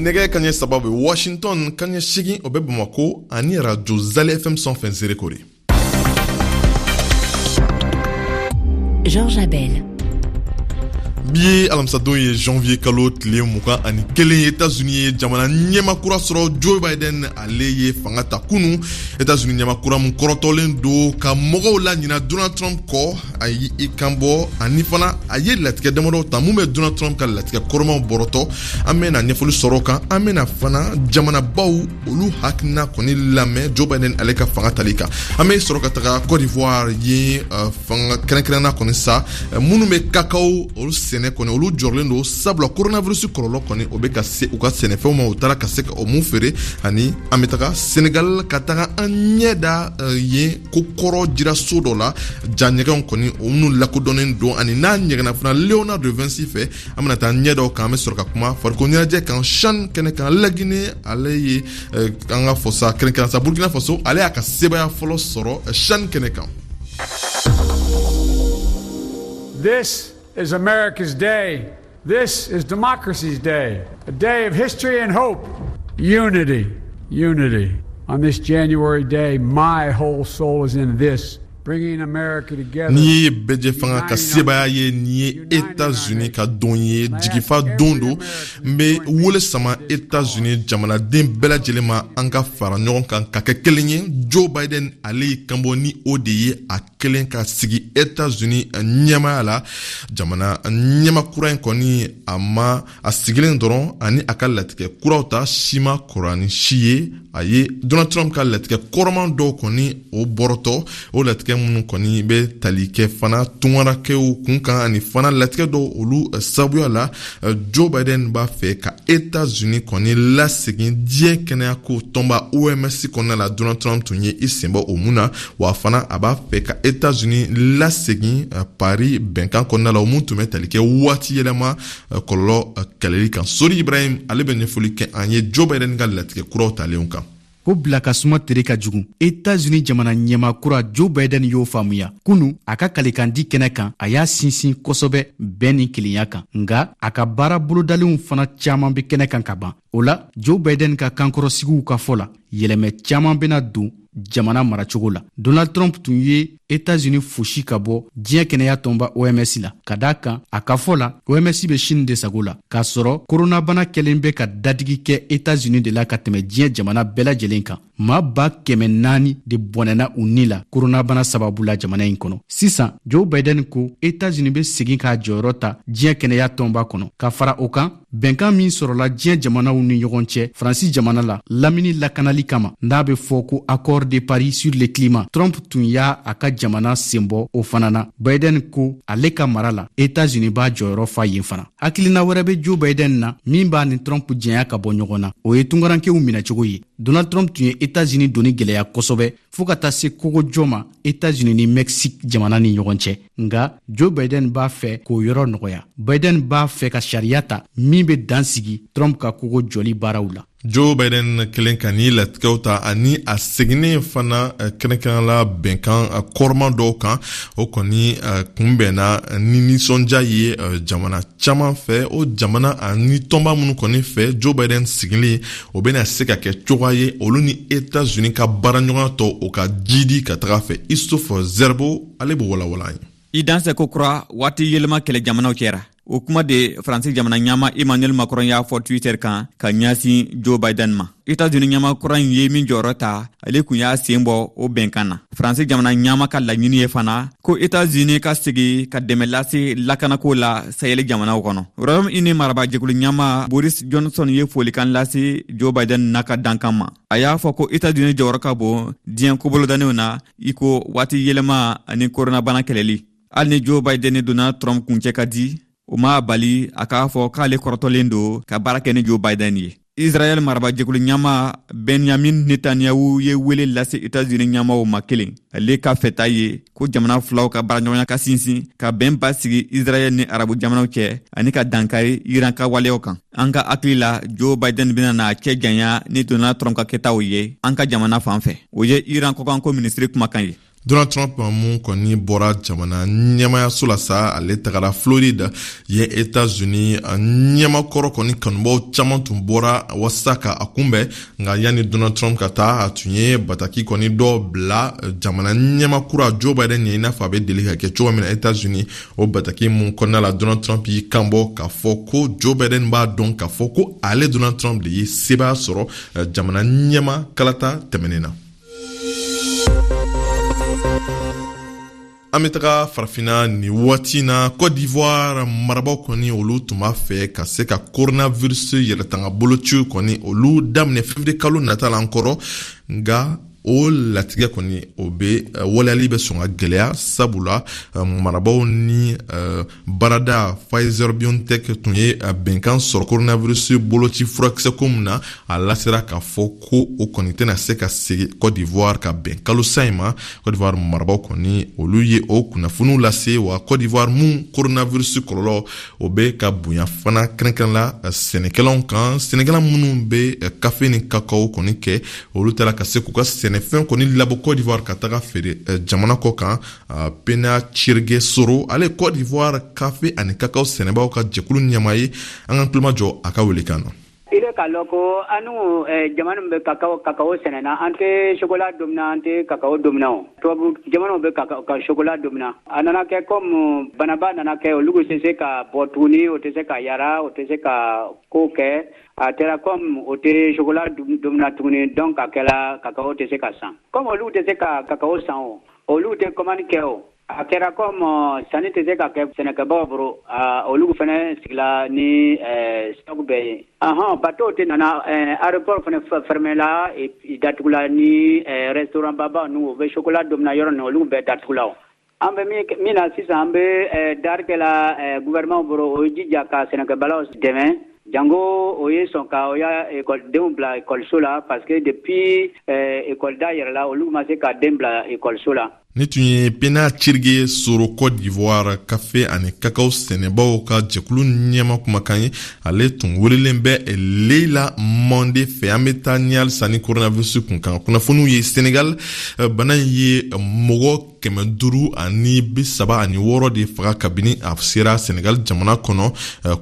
Nɛgɛ kaɲɛ 3 bɛ Washington, kaɲɛ 8 o bɛ Bamako ani radio Zale FM sanfɛ Nzerekore. Georges Abel. Bi ye alamisadon ye, janvier kalo tile 21 ye. Etats-Unis ye jamana ɲɛmaa kura sɔrɔ. Joe Biden, ale ye fanga ta kunu. Etats-Unis ɲɛmaa kura mun kɔrɔtɔlen don ka mɔgɔw laɲina Donald Trump kɔ, a ye i kan bɔ ani fana a ye latigɛ damadɔw ta mun bɛ Donald Trump ka latigɛ kɔrɔmaw bɔrɔtɔ. An bɛna ɲɛfɔli sɔrɔ o kan. An bɛna fana jamanabaw olu hakilina kɔni lamɛn Joe Biden ale ka fanga tali kan. An bɛ sɔrɔ ka taga Côte d'Ivoire ye, fanga kɛrɛnkɛrɛnna kɔni sa, minnu bɛ kakao olu sɛnɛ kɔni, olu jɔrɔlen don sabula coronavirus kɔlɔlɔ kɔni o bɛ ka se u ka sɛnɛfɛnw ma, u taara ka se ka o mun feere. Ani an bɛ taga Senegal ka taga an ɲɛ da yen ko kɔrɔ jira so dɔ la, ja ɲɛgɛnw kɔni o minnu lakodɔnnen don ani n'a ɲɛgɛnna fana Leonardo da Vinci fɛ. An bɛna taa ɲɛ da o kan. An bɛ sɔrɔ ka kuma farikolo ɲɛnajɛ kan, CHAN kɛnɛ kan. Laginɛ, ale ye an ka fɔ sa kɛrɛnkɛrɛn sa Burkina Faso, ale y'a ka sebaaya fɔlɔ sɔrɔ CHAN kɛnɛ kan. This is America's day. This is democracy's day. A day of history and hope. Unity, unity. On this January day, my whole soul is in this. Bringing America together. N'i ye bɛjɛ fanga ka sebaaya ye, nin ye Etats-Unis ka don ye, jigifa don don. N bɛ wele sama Etats-Unis jamanaden bɛɛ lajɛlen ma, an ka fara ɲɔgɔn kan ka kɛ kelen ye. Joe Biden, ale y'i kanbɔ ni o de ye, a kelen ka sigi Etats-Unis ɲɛmaaya la. Jamana ɲɛma kura in kɔni, a ma a sigilen dɔrɔn ani a ka latigɛ kuraw ta si ma kɔrɔ ni si ye. A ye Donald Trump ka latigɛ kɔrɔman dɔw kɔni o bɔrɔtɔ, o latigɛ minnu kɔni bɛ tali kɛ fana tungarakɛw kun kan ani fana latigɛ dɔw olu sababuya la. Joe Biden b'a fɛ ka Etats-Unis kɔni lasegin diɲɛ kɛnɛyako tɔnba OMS kɔnɔna la, Donald Trump tun ye i senbɔ o mun na. Wa fana a b'a fɛ ka Etats-Unis lasegin Paris bɛnkan kɔnɔna la, o mun tun bɛ tali kɛ waati yɛlɛma kɔlɔlɔ kɛlɛli kan. Sori Ibrahim, ale bɛ ɲɛfɔli kɛ an ye Joe Biden ka latigɛ kuraw talenw kan. Ko bila ka suma tere ka jugu, Etats-Unis jamana ɲɛmaa kura Joe Biden y'o faamuya kunu a ka kalekandi kɛnɛ kan. A y'a sinsin kosɛbɛ bɛn ni kelenya kan, nga a ka baara bolodalenw fana caaman be kɛnɛ kan ka ban. O la, Joe Biden ka kankɔrɔsigiw ka fɔ la, yɛlɛmɛ caaman bena don jamana maracogo la. Donald Trump tun ye Etats-Unis fosi ka bɔ diɲɛ kɛnɛya tɔnba OMS la, ka da kan a ka fɔ la, OMS bɛ Chine de sago la, k'a sɔrɔ koronabana kɛlen bɛ ka dadigi kɛ Etats-Unis de la ka tɛmɛ diɲɛ jamana bɛɛ lajɛlen kan. Maa 400,000 de bɔnɛna u ni la koronabana sababu la jamana in kɔnɔ. Sisan, Joe Biden ko Etats-Unis bɛ segin k'a jɔyɔrɔ ta diɲɛ kɛnɛya tɔnba kɔnɔ. Ka fara o kan, bɛnkan min sɔrɔla diɲɛ jamanaw ni ɲɔgɔn cɛ Faransi jamana la lamini lakanali kama, n'a bɛ fɔ ko Accord de Paris sur le climat, Trump tun y'a a ka jamana senbɔ o fana na. Biden ko ale ka mara la, Etats-Unis b'a jɔyɔrɔ fa yen fana. Hakilina wɛrɛ bɛ Joe Biden na min b'a ni Trump janya ka bɔ ɲɔgɔn na, o ye tungarankew minɛcogo ye. Donald Trump tun ye Etats-Unis doni gɛlɛya kosɛbɛ fɔɔ ka taa se kogojɔ ma Etats-Unis ni Mexique jamana ni ɲɔgɔn cɛ. Nga Joe Biden b'a fɛ k'o yɔrɔ nɔgɔya. Biden b'a fɛ ka sariya ta min bɛ dan sigi Trump ka kogo jɔli baaraw la. Joe Biden kelen ka ni latigɛw ta ani a seginnen fana kɛrɛnkɛrɛnnala bɛnkan kɔrɔman dɔw kan, o kɔni kunbɛnna ni nisɔndiya ye jamana caman fɛ. O jamana ani tɔnba minnu kɔni fɛ, Joe Biden sigilen, o bɛna se ka kɛ cogoya ye olu ni Etats-Unis ka baaraɲɔgɔnya tɔ o ka jidi ka taga fɛ. Issouf Zerbo, ale b'o walawala an ye. I dansɛ ko kura waati yɛlɛma kɛlɛ jamanaw cɛra, o kuma de Faransi jamana ɲɛmaa Emmanuel Macron y'a fɔ Twitter kan ka ɲɛsin Joe Biden ma. Etats-Unis ɲɛmaa kura in ye min jɔyɔrɔ ta, ale kun y'a sen bɔ o bɛnkan na. Faransi jamana ɲɛmaa ka laɲini ye fana ko Etats-Unis ka segi ka dɛmɛ lase lakanako la Sahel jamanaw kɔnɔ. Royaume-Uni marabajɛkulu ɲɛmaa Boris Johnson ye folikan lase Joe Biden n'a ka dankan ma. A y'a fɔ ko Etats-Unis jɔyɔrɔ ka bon diɲɛ kobolodanenw na, i ko waati yɛlɛma ani koronabana kɛlɛli. Hali ni Joe Biden ni Donald Trump kuncɛ ka di, o m'a bali a k'a fɔ k'ale kɔrɔtɔlen don ka baara kɛ ni Joe Biden ye. Israɛl marabajɛkulu ɲɛmaa Benyamin Netanyahu ye wele lase Etats-Unis ɲɛmaaw ma kelen. Ale ka fɛta ye ko jamana filaw ka baaraɲɔgɔnya ka sinsin, ka bɛn basigi Israɛl ni arabu jamanaw cɛ ani ka dankari Iran ka waleyaw kan. An ka hakili la, Joe Biden bɛna n'a cɛ janya ni Donald Trump ka kɛtaw ye an ka jamana fan fɛ. O ye Iran kɔkanko minisiri kumakan ye. Donald Trump mun kɔni bɔra jamana ɲɛmayaso la sa, ale tagara Floride. Yen, Etats-Unis ɲɛmakɔrɔ kɔni kanubaw caman tun bɔra walasa ka a kunbɛn. Nka yanni Donald Trump ka taa, a tun ye bataki kɔni dɔ bila jamana ɲɛmakura Joe Biden ɲɛ, i n'a fɔ a bɛ deli ka kɛ cogo min na Etats-Unis. O bataki mun kɔnɔna la, Donald Trump y'i kanbɔ k'a fɔ ko Joe Biden b'a dɔn k'a fɔ ko ale Donald Trump de ye sebaaya sɔrɔ jamana ɲɛma kalata tɛmɛnen na. An bɛ taga Farafinna nin waati na. Cote d'Ivoire marabaw kɔni, olu tun b'a fɛ ka se ka coronavirus yɛrɛtanga boloci kɔni olu daminɛ février kalo nata la an kɔrɔ. Nka o latigɛ kɔni, o bɛ waleyali bɛ sɔn ka gɛlɛya, sabula marabaw ni baarada Pfizer BioNTech tun ye bɛnkan sɔrɔ coronavirus boloci furakisɛ ko min na. A lasera k'a fɔ ko o kɔni tɛna se ka segin Cote d'Ivoire ka bɛn kalo sa in ma. Cote d'Ivoire marabaw kɔni, olu ye o kunnafoniw lase. Wa Cote d'Ivoire mun coronavirus kɔlɔlɔ o bɛ ka bonya fana, kɛrɛnkɛrɛn la sɛnɛkɛlaw kan, sɛnɛkɛla minnu bɛ kafe ni kakao kɔni kɛ, olu taara ka se k'u ka sɛnɛfɛn kɔni labɔ Cote d'Ivoire ka taga feere jamana kɔ kan. Pena Cirige Soro, ale Cote d'Ivoire kafe ani kakao sɛnɛbaw ka jɛkulu ɲɛmaa ye. An ka tulomajɔ a ka welekan na. I bɛ k'a lɔn ko anu jamana min bɛ kakao sɛnɛna, an tɛ chocolat domina, an tɛ kakao domina. O tubabu jamanaw bɛ ka chocolat domina. A nana kɛ comme banaba nana kɛ, olu tɛ se ka bɔ tuguni, o tɛ se ka yara, o tɛ se ka ko kɛ. A kɛra comme o tɛ chocolat domina tuguni, donc a kɛra kakao tɛ se ka san. Comme olu tɛ se ka kakao san, o olu tɛ commande kɛ. O a kɛra comme sanni tɛ se ka kɛ sɛnɛkɛbagaw bolo, olu fana sigila ni stock bɛɛ ye. Ahɔn, bateau tɛ nana, aéroport fana fermé la, datugula, ni restaurant baba ninnu, o bɛ chocolat domina yɔrɔ ninnu, olu bɛɛ datugula. O an bɛ min na sisan, an bɛ dari kɛla gouvernement bolo, o ye jija ka sɛnɛkɛbalaw dɛmɛ, jango o ye sɔn ka o ya ekɔlidenw bila ekɔliso la, parce que depuis école da yɛrɛ la, olu ma se ka den bila ekɔliso la. Ni tun ye Pena Cirige Soro, Cote d'Ivoire kafe ani kakao sɛnɛbaw ka jɛkulu ɲɛma kumakan ye. Ale tun welelen bɛ Leila Mande fɛ. An bɛ taa ɲɛ halisa ni coronavirus kun kan kunnafoniw ye. Senegal, bana in ye mɔgɔ 536 de faga kabini a sera Senegal jamana kɔnɔ.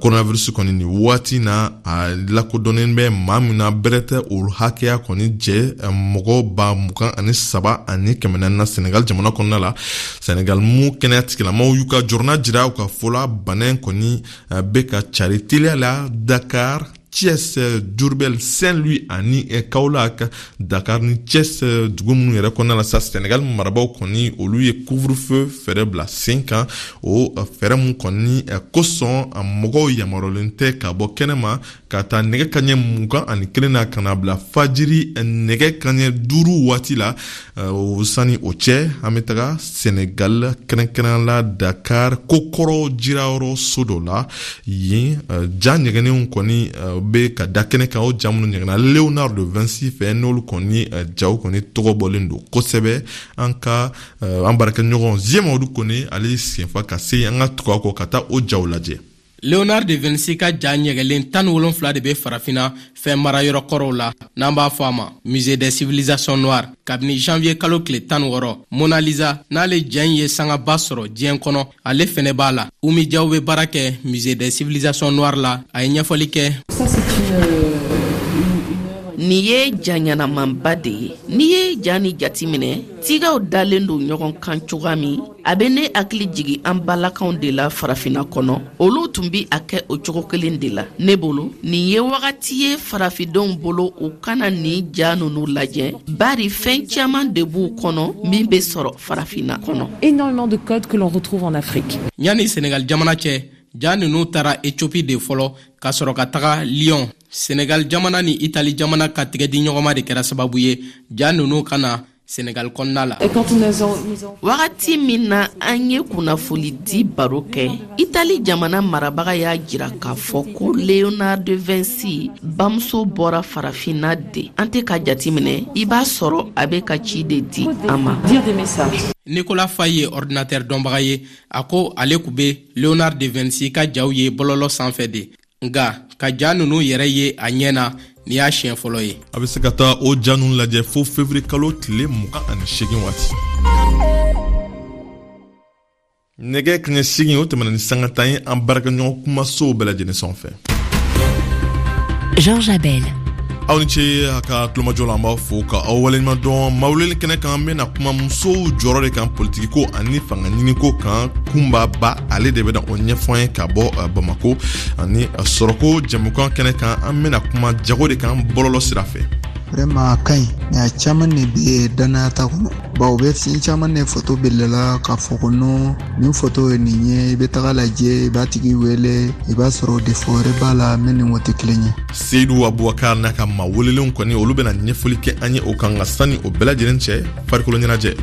Coronavirus kɔni, nin waati na, a lakodɔnnen bɛ maa min na, bɛrɛ tɛ o hakɛya kɔni jɛ mɔgɔ 23,400 na Senegal jamana kɔnɔna la. Senegal mu kɛnɛya tigilamaw y'u ka jɔrɔna jira. U ka fɔ la, bana in kɔni bɛ ka cari teliya la Dakar, Thiès, Diourbel, Saint-Louis ani Kaolack. Dakar ni Thiès, dugu minnu yɛrɛ kɔnɔna la sa, Senegal marabaw kɔni, olu ye couvre-feu fɛɛrɛ bila sen kan. O fɛɛrɛ mun kɔni kosɔn, mɔgɔw yamaruyalen tɛ ka bɔ kɛnɛma ka taa nɛgɛ kaɲɛ 21 na ka na bila fajiri nɛgɛ kaɲɛ 5 waati la. O sani o cɛ, an bɛ taga Senegal, kɛrɛnkɛrɛn la Dakar, kokɔrɔ jirayɔrɔ so dɔ la. Yen, ja ɲɛgɛnnenw kɔni bɛ ka da kɛnɛ kan, o ja minnu ɲɛgɛnna Leonardo de Vinci fɛ, n'olu kɔni jaw kɔni tɔgɔ bɔlen don kosɛbɛ. An ka an baarakɛɲɔgɔn Ziyamadu Kone, ale senfa ka se an ka tugu a kɔ ka taa o jaw lajɛ. Leonard de Vinci ka ja ɲɛgɛlen 17 de bɛ Farafina fɛn marayɔrɔ kɔrɔw la, n'an b'a fɔ a ma Musée des civilisations noires, kabini janvier kalo tile 16. Mona Lisa, n'ale ja in ye sangaba sɔrɔ diɲɛ kɔnɔ, ale fɛnɛ b'a la. Umi Jaw bɛ baara kɛ Musée des civilisations noires la. A ye ɲɛfɔli kɛ. Nin ye ja ɲɛnamanba de ye. N'i ye ja ni jatiminɛ, tigaw dalen don ɲɔgɔn kan cogoya min, a bɛ ne hakili jigi an balakanw de la Farafina kɔnɔ. Olu tun bi a kɛ o cogo kelen de la. Ne bolo, nin ye wagati ye farafindenw bolo u kana nin ja nunu lajɛ, bari fɛn caman de b'u kɔnɔ min bɛ sɔrɔ Farafina kɔnɔ. Énormément de codes que l'on retrouve en Afrique. Yanni Senegal jamana cɛ, ja ninnu taara Ethiopie de fɔlɔ ka sɔrɔ ka taga Lyon. Senegal jamana ni Itali jamana ka tigɛdiɲɔgɔnma de kɛra sababu ye ja ninnu ka na Senegal kɔnɔna la. Wagati min na an ye kunnafoni di baro kɛ, Itali jamana marabaga y'a jira k'a fɔ ko Leonardo de Vinci bamuso bɔra Farafinna de. An tɛ ka jatiminɛ, i b'a sɔrɔ a bɛ ka ci de di an ma. Nicolas Faye ye ordinateur dɔnbaga ye. A ko ale kun bɛ Leonard de Vinci ka jaw ye bɔlɔlɔ sanfɛ de, nka ka ja ninnu yɛrɛ ye a ɲɛ na, nin y'a siɲɛ fɔlɔ ye. A bɛ se ka taa o ja ninnu lajɛ fo février kalo tile 28 waati. Nɛgɛ kaɲɛ 8, o tɛmɛna ni sanga 10 ye, an baarakɛɲɔgɔn kumasow bɛɛ lajɛlen sanfɛ. Georges Abel. Aw ni ce a ka tulomajɔ la. An b'a fo ka aw waleɲuman dɔn. Maa welelen kɛnɛ kan, an bɛna kuma musow jɔyɔrɔ de kan politikiko ani fanga ɲiniko kan. Kunba Ba, ale de bɛna o ɲɛfɔ an ye ka bɔ Bamako. Ani sɔrɔko jɛmukan kɛnɛ kan, an bɛna kuma jago de kan bɔlɔlɔ sira fɛ. Vraiment, a ka ɲi, mais a caman de bɛ dannaya t'a kɔnɔ, bawo u bɛ fɛn caman de foto bilala k'a fɔ ko non, nin foto ye nin ye. I bɛ taga lajɛ, i b'a tigi wele, i b'a sɔrɔ défaut wɛrɛ b'a la min ni o tɛ kelen ye. Seyidu Abubakar n'a ka maa welelenw kɔni, olu bɛna ɲɛfɔli kɛ an ye o kan. Nka sani o bɛɛ lajɛlen cɛ, farikolo ɲɛnajɛ.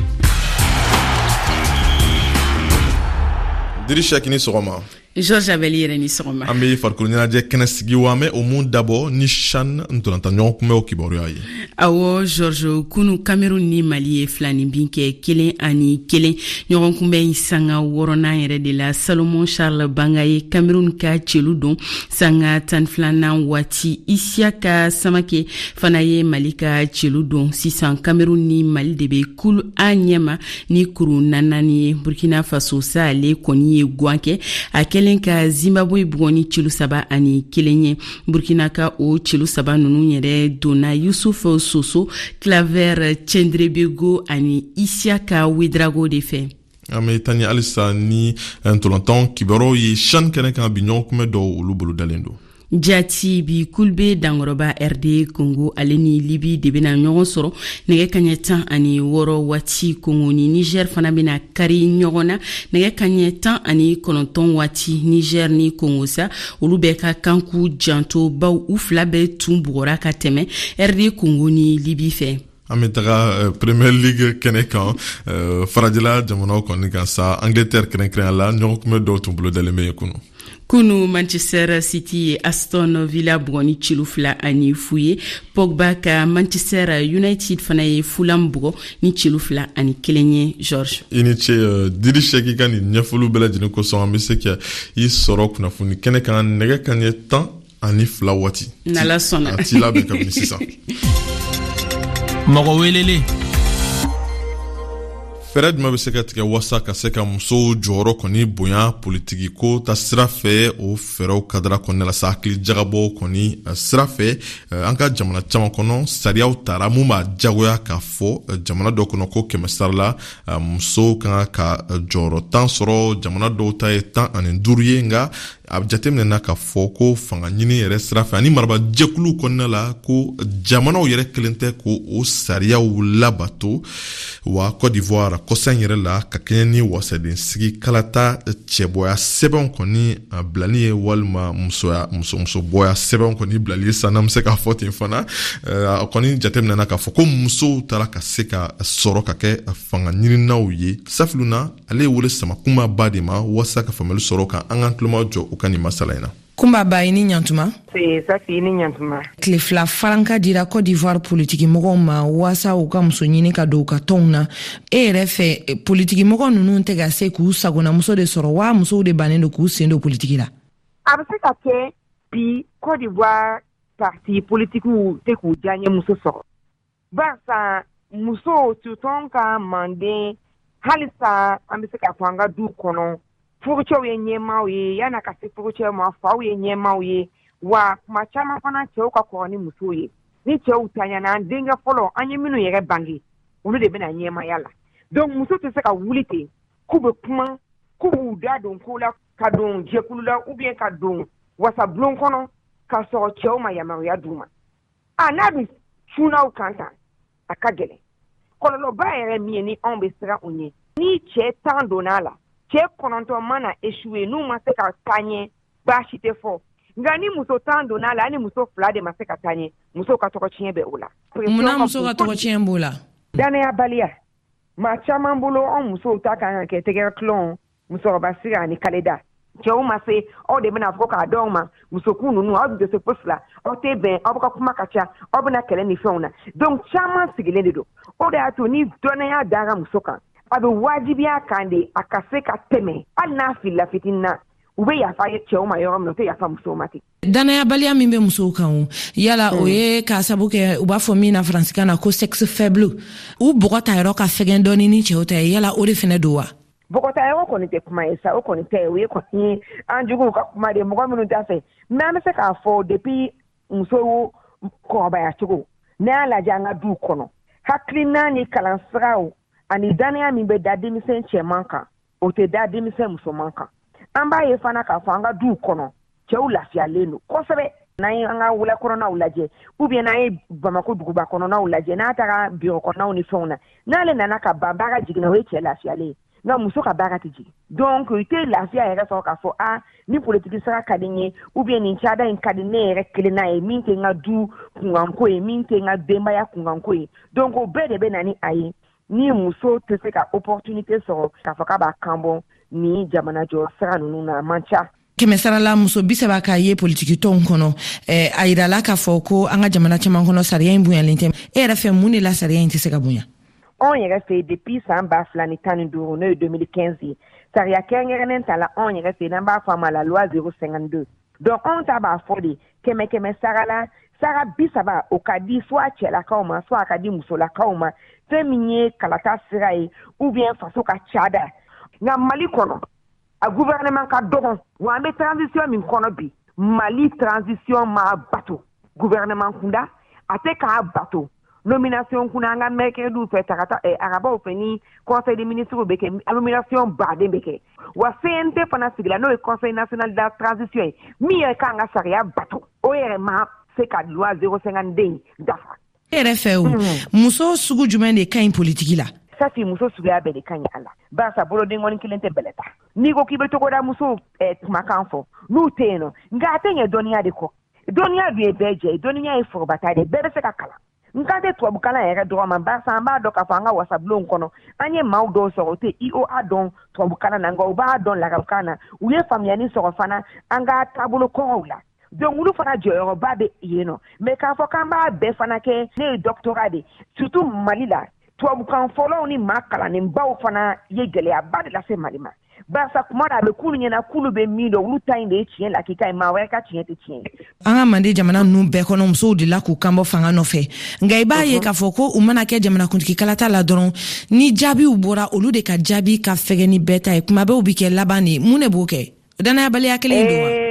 Diri Sɛki, ni sɔgɔma. Georges Abel yɛrɛ, ni sɔgɔma. An bɛ farikolo ɲɛnajɛ kɛnɛ sigi wa, an bɛ o mun dabɔ ni CHAN ntolatan ɲɔgɔn kunbɛnw kibaruya ye. Awɔ Georges, kunu Cameroun ni Mali ye filaninbin kɛ 1-1. Ɲɔgɔn kunbɛn sanga wɔɔrɔnan yɛrɛ de la, Salomon Charles Banga ye Cameroun ka celu don sanga 12nan waati. Isiaka Samake fana ye Mali ka celu don. Sisan Cameroun ni Mali de bɛ kulu A ɲɛma ni kuru naani ye. Burkina Faso sa, ale kɔni ye gwan kɛ a kɛlen ka Zimbabwe bugɔ ni celu 3-1 ye. Burkina ka o celu saba ninnu yɛrɛ donna Yusuf Soso, Claver Tiendrebego ani Isiaka Ouedraogo de fɛ. An bɛ taa ni halisa ni ntolantan kibaruyaw ye CHAN kɛnɛ kan. Bi ɲɔgɔn kunbɛn dɔw, olu bolo dalen don. Jati, bi kulu B dankɔrɔba RD Congo, ale ni Libi de bɛna ɲɔgɔn sɔrɔ nɛgɛ kaɲɛ 16 waati. Congo ni Niger fana bɛna kari ɲɔgɔn na nɛgɛ kaɲɛ 19 waati. Niger ni Congo sa, olu bɛɛ ka kan k'u janto, baw u fila bɛɛ tun bugɔra ka tɛmɛ RD Congo ni Libi fɛ. An bɛ taga Premier League kɛnɛ kan, farajɛla jamanaw kɔni kan sa, Angleterre kɛrɛnkɛrɛnya la. Ɲɔgɔn kunbɛn dɔw tun bolo dalen bɛ yen kunu. Kunu Manchester City ye Aston Villa bugɔ ni celu 2-0 ye. Pogba ka Manchester United fana ye Fulham bugɔ ni celu 2-1 ye, George. I ni ce, Diri Sɛki, ka nin ɲɛfɔliw bɛɛ lajɛlen kosɔn. An bɛ se ka i sɔrɔ kunnafoni kɛnɛ kan nɛgɛ kaɲɛ 12 waati. N'Ala sɔnna. A t'i labɛn kabini sisan. Mɔgɔ welelen. Fɛɛrɛ jumɛn bɛ se ka tigɛ wasa ka se ka musow jɔyɔrɔ kɔni bonya politiki ko ta sira fɛ? O fɛɛrɛw kadara kɔnɔna la sa, hakili jagabɔ kɔni sira fɛ, an ka jamana caman kɔnɔ, sariyaw tara mun b'a jagoya k'a fɔ jamana dɔ kɔnɔ ko 100 sara la, musow kan ka jɔyɔrɔ 10 sɔrɔ. Jamana dɔw ta ye 15 ye. Nka a jateminɛna k'a fɔ ko fanga ɲini yɛrɛ sira fɛ ani marabajɛkuluw kɔnɔna la, ko jamanaw yɛrɛ kelen tɛ ko o sariyaw labato wa. Côte d'Ivoire, kɔsa in yɛrɛ la, ka kɛɲɛ ni wasaden sigi kalata cɛbɔya sɛbɛnw kɔni bilali ye, walima musoya musobɔya sɛbɛnw kɔni bilali ye san, n'an bɛ se k'a fɔ ten fana, a kɔni jateminɛna k'a fɔ ko musow taara ka se ka sɔrɔ ka kɛ fanga ɲininaw ye. Safiluna, ale ye wele sama Kunba Ba de ma walasa ka faamuyali sɔrɔ kan. An k'an tuloma jɔ u ka nin masala in na. Kunba Ba, i ni ɲantuma. Safi, i ni ɲantuma. Tile 2 faranka dira Cote d'Ivoire politikimɔgɔw ma waasa u ka muso ɲini ka don u ka tɔnw na. E yɛrɛ fɛ, politikimɔgɔ ninnu tɛ ka se k'u sagonamuso de sɔrɔ wa, musow de bannen don k'u sen don politiki la? A bɛ se ka kɛ bi Cote d'Ivoire parti politikiw tɛ k'u diyaɲɛ muso sɔrɔ, barisa musow, surtout anw ka manden, halisa an bɛ se k'a fɔ an ka du kɔnɔ, furucɛw ye ɲɛmaaw ye. Yan'a ka se furucɛw ma, faw ye ɲɛmaaw ye. Wa kuma caman fana, cɛw ka kɔrɔ ni musow ye. Ni cɛw tanyana, an denkɛ fɔlɔ, an ye minnu yɛrɛ bange, olu de bɛna ɲɛmaaya la. Donc muso tɛ se ka wuli ten k'u bɛ kuma, k'u b'u da don ko la, ka don jɛkulu la ou bien ka don wasabulon kɔnɔ, k'a sɔrɔ cɛw ma yamaruya d'u ma. A n'a dun cunna kan tan, a ka gɛlɛn. Kɔlɔlɔba yɛrɛ min ye, ni anw bɛ siran o ɲɛ, ni cɛ 10 donna a la, cɛ 9 mana échoué, n'u ma se ka taa ɲɛ, baasi tɛ fɔ. Nka ni muso 10 donna a la, ni muso 2 de ma se ka taa ɲɛ, musow ka tɔgɔ tiɲɛ bɛ o la. Munna muso ka tɔgɔ tiɲɛ b'o la? Danayabaliya maa caman bolo. Anw musow ta kan ka kɛ tɛgɛrɛ tulon, musokɔrɔba sigi ani kaleda. Cɛw ma se, aw de bɛna fɔ k'a dɔn ma musokun ninnu, aw tɛ se fosi la, aw tɛ bɛn, aw bɛ ka kuma ka ca, aw bɛna kɛlɛ ni fɛnw na. Donc caman sigilen de don. O de y'a to ni dɔnnaya dara muso kan, a bɛ wajibiya kan de a ka se ka tɛmɛ. Hali n'a filila fitinin na, u bɛ yafa cɛw ma yɔrɔ min na, u tɛ yafa musow ma ten. Dannayabaliya min bɛ musow kan o, yala o ye k'a sabu kɛ u b'a fɔ min na faransikan na ko sexe faible, u bɔgɔ ta yɔrɔ ka fɛgɛn dɔɔni ni cɛw ta ye, yala o de fɛnɛ don wa? Bɔgɔtayɔrɔ kɔni tɛ kuma ye sa, o kɔni tɛ, o ye kɔni an juguw ka kuma de, mɔgɔ minnu t'a fɛ. Mais an bɛ se k'a fɔ depuis musow kɔrɔbaya cogo, n'a y'a lajɛ an ka duw kɔnɔ, hakilina ni kalansiraw ani dannaya min bɛ da denmisɛn cɛman kan, o tɛ da denmisɛn musoman kan. An b'a ye fana k'a fɔ an ka duw kɔnɔ, cɛw lafiyalen don kosɛbɛ. N'an ye an ka wula kɔnɔnaw lajɛ, ou bien n'an ye Bamako duguba kɔnɔnaw lajɛ, n'a taara biro kɔnɔnaw ni fɛnw na, n'ale nana ka ban, baara jiginna, o ye cɛ lafiyalen ye, nka muso ka baara tɛ jigin. Donc i tɛ lafiya yɛrɛ sɔrɔ k'a fɔ a ni politiki sira ka di n ye, ou bien nin cada in ka di ne yɛrɛ kelen n'a ye, min tɛ n ka du kunkanko ye, min tɛ n ka denbaya kunkanko ye. Donc o bɛɛ de bɛ na ni a ye ni muso tɛ se ka opportunité sɔrɔ k'a fɔ k'a b'a kan bɔ ni jamanajɔ sira ninnu na, a man ca. Kɛmɛsarala muso 30 ka ye politikitɔnw kɔnɔ. A yirala k'a fɔ ko an ka jamana caman kɔnɔ, sariya in bonyalen tɛ. E yɛrɛ fɛ, mun de la sariya in tɛ se ka bonya? Anw yɛrɛ fɛ, depuis san 2015, n'o ye 2015 ye, sariya kɛrɛnkɛrɛnnen tala anw yɛrɛ fɛ, n'an b'a fɔ a ma la loi 052. Donc anw ta b'a fɔ de kɛmɛ kɛmɛ sara la, sara 30, o ka di soit cɛlakaw ma, soit a ka di musolakaw ma, fɛn min ye kalata sira ye ou bien faso ka cada. Nka Mali kɔnɔ, a gouvernement ka dɔgɔn wa, an bɛ transition min kɔnɔ bi, Mali transition ma bato gouvernement kunda, a tɛ k'a bato nomination kunda. An ka mercrediw fɛ, tarata, arabaw fɛ, ni conseil des ministres bɛ kɛ, nomination baden bɛ kɛ. Wa CNT fana sigila, n'o ye Conseil national de la transition ye, min yɛrɛ kan ka sariya bato, o yɛrɛ ma se ka loi 052 in dafa. E yɛrɛ fɛ o, muso sugu jumɛn de ka ɲi politiki la? Safi, muso suguya bɛɛ de ka ɲi a la, barisa bolodenkɔni kelen tɛ bɛlɛ ta. N'i ko k'i bɛ togoda musow kumakan fɔ, n'u tɛ yen nɔ, nka a tɛ ɲɛ dɔnniya de kɔ. Dɔnniya dun ye bɛɛ jɛ ye, dɔnniya ye forobata de ye, bɛɛ bɛ se ka kalan. N kan tɛ tubabukalan yɛrɛ dɔrɔn ma, barisa an b'a dɔn k'a fɔ an ka wasabulonw kɔnɔ, an ye maaw dɔw sɔrɔ, o tɛ IOA dɔn tubabukalan na, nka u b'a dɔn larabukan na. U ye faamuyali sɔrɔ fana an ka taabolo kɔrɔw la. Donc olu fana jɔyɔrɔba bɛ yen nɔ. Mais k'a fɔ k'an b'a bɛɛ fana kɛ, ne ye doctorat de, surtout Mali la, tubabukan fɔlɔw ni maa kalannenbaw fana ye gɛlɛyaba de lase Mali ma, barisa kuma dɔ a bɛ k'olu ɲɛna k'olu bɛ min dɔn, olu ta in de ye tiɲɛ lakika ye, maa wɛrɛ ka tiɲɛ tɛ tiɲɛ ye. An ka mande jamana ninnu bɛɛ kɔnɔ, musow delila k'u kanbɔ fanga nɔfɛ, nka i b'a ye k'a fɔ ko u mana kɛ jamanakuntigi kalata la dɔrɔn, ni jaabiw bɔra, olu de ka jaabi ka fɛgɛ ni bɛɛ ta ye. Kuma bɛɛ u bi kɛ laban de. Mun de b'o kɛ? Danayabaliya kelen don wa? Ee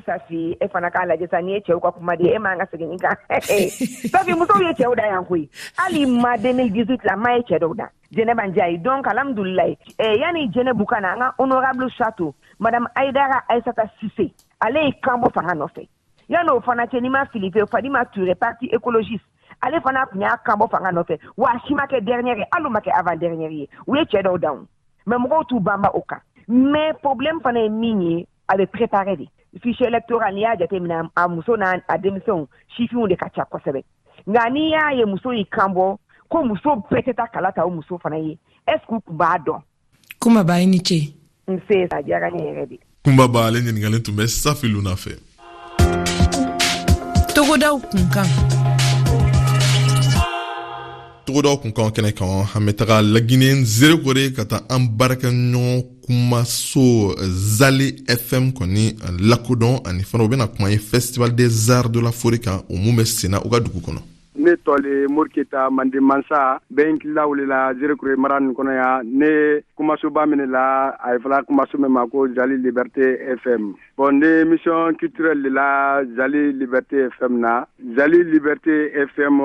Safi, e fana k'a lajɛ sa, n'i ye cɛw ka kuma di, e man ka segin nin kan. Safi, musow ye cɛw da yan koyi. Hali ma 2018 la, ma ye cɛ dɔw da, Jɛnɛba Njayi. Donc alhamdulilayi, yanni Jɛnɛbu ka na, an ka honorable Chateau, madame Aïdara Aïssata Cissé, ale ye kan bɔ fanga nɔfɛ. Yanni o fana cɛ, n'i ma fili fɛ, Fadima Touré, parti écologiste, ale fana tun y'a kan bɔ fanga nɔfɛ. Wa a si ma kɛ dernière ye, hali u ma kɛ avant dernière ye, u ye cɛ dɔw dan. Mais mɔgɔw t'u banba o kan. Mais problème fana ye min ye, a bɛ préparer de fichier électoral. N'i y'a jateminɛ, a muso n'a a denmisɛnw, sifinw de ka ca kosɛbɛ. Nka n'i y'a ye muso y'i kan bɔ ko muso bɛɛ tɛ taa kala ta, o muso fana ye, est ce que u tun b'a dɔn? Kunba Ba, i ni ce. Nse, a diyara ne yɛrɛ de. Kunba Ba, ale ɲininkalen tun bɛ Safi Luna fɛ. Togodaw kunkan. Togodaw kunkan kɛnɛ kan, an bɛ taga Lagine Zerekore ka taa an baarakɛɲɔgɔn kumaso Zale FM kɔni lakodɔn, ani fana u bɛna kuma ye Festival des Arts de la Forêt kan, o mun bɛ senna u ka dugu kɔnɔ. Ne tɔ le Moriketa Mande Mansa, bɛ n kila wele la Zerekore mara nin kɔnɔ yan. Ne kumasoba minɛ la, a ye fɔla kumaso min ma ko Zali Liberté FM. Bon, ne émission culturelle de la Zali Liberté FM na. Zali Liberté FM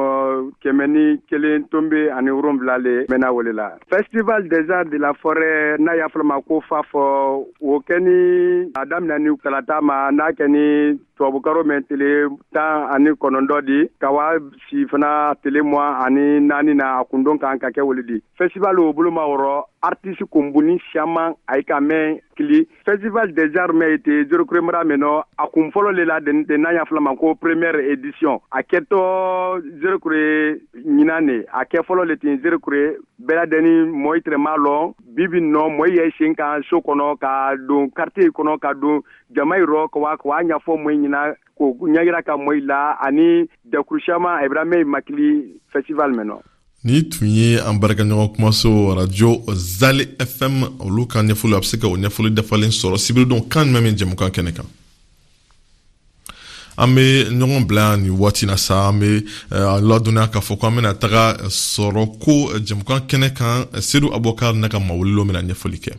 101.7 le mɛna wele la. Festival des Arts de la Forêt, n'a y'a fɔla ma ko FAF, o kɛ ni a daminɛ ni kalata ma, n'a kɛ ni tubabukaro mɛn tele 19 di, ka wa si fana tele 24 na, a kundon kan ka kɛ wele di. Festival o bolo ma wɔrɔ artiste kunbuni siaman a ye ka mɛn kili. Festival des Arts mɛn été Zerekore mara mɛn nɔ, a kun fɔlɔ le la den n'a y'a fɔla ma ko première édition. A kɛtɔ Zerekore ɲinan ne, a kɛ fɔlɔ le ten Zerekore bɛɛ ladɛnni mɔɔ tɛrɛ m'a lɔn. Bibi nɔ, mɔɔ yɛ sen kan so kɔnɔ ka don quartier kɔnɔ, ka don jama yɔrɔ, ka wa ka wa ɲɛfɔ mɔɔ ɲɛna, k'o ɲɛyira ka mɔɔ la, ani jɛkulu caman a bɛra mɛn makili festival mɛn nɔ. Ni tun ye an baarakɛɲɔgɔn kumaso radio Zale FM olu ka ɲɛfɔli. A bɛ se ka o ɲɛfɔli dafalen sɔrɔ sibiridon kan jumɛn min jɛmukan kɛnɛ kan. An bɛ ɲɔgɔn bila nin waati na sa, an bɛ ladɔnniya k'a fɔ ko an bɛna taga sɔrɔ ko jɛmukan kɛnɛ kan. Sedu Abubakar n'a ka mawulilo bɛna ɲɛfɔli kɛ.